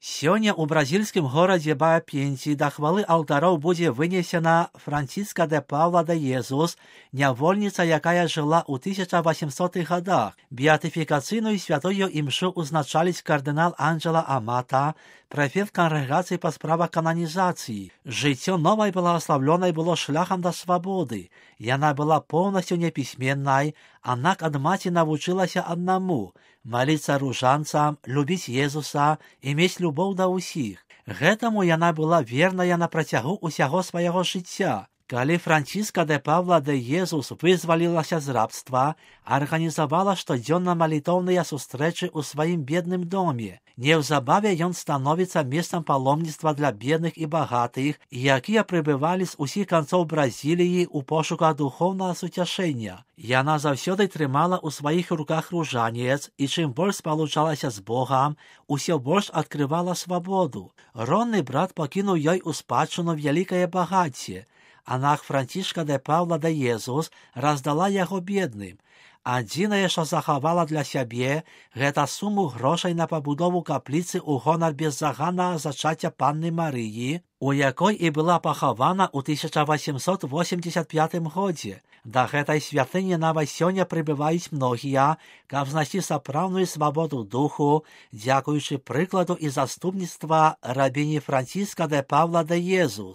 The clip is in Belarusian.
Сёння ў бразільскім горадзе Баапенці да хвалы алтароў будзе вынесена Франциска де Паула де Езус, нявольніца, якая жыла ў 1800-х годах. Беатыфікацыйную святую імшу узначаліць кардынал Анджела Амата, прэфект кангрэгацыі па справах кананізацыі. Жыццё новай благаславлёнай было шляхам да свабоды. Яна была поўнасцю непісьменнай, аднак ад маці навучылася аднаму – маліцца ружанцам, любіць Езуса і мець любоў да ўсіх. Гэтаму яна была верная на працягу ўсяго свайго жыцця. Калі Франциска де Паула де Езус вызвалілася з рабства, арганізавала штодзённа малітоўныя сустрэчы ў сваім бедным доме. Неўзабаве ён становіцца месцам паломніцтва для бедных і багатых, якія прыбывалі з усіх канцоў Бразіліі ў пошуках духоўнага суцяшэння. Яна заўсёды трымала ў сваіх руках ружанец, і чым больш спалучалася з Богам, усё больш адкрывала свабоду. Ронны брат пакінуў ёй у спадчыну вялікае багацце. Аднак Францішка де Паула де Езус раздала яго бедным. Адзінае, што захавала для сябе, гэта суму грошай на пабудову капліцы ў гонар беззаганнага зачацця Панны Марыі, у якой і была пахавана ў 1885 годзе. Да гэтай святыні нават сёння прыбываюць многія, каб знайсці сапраўдную свабоду духу, дзякуючы прыкладу і заступніцтва рабіні Франциска де Паула де Езус.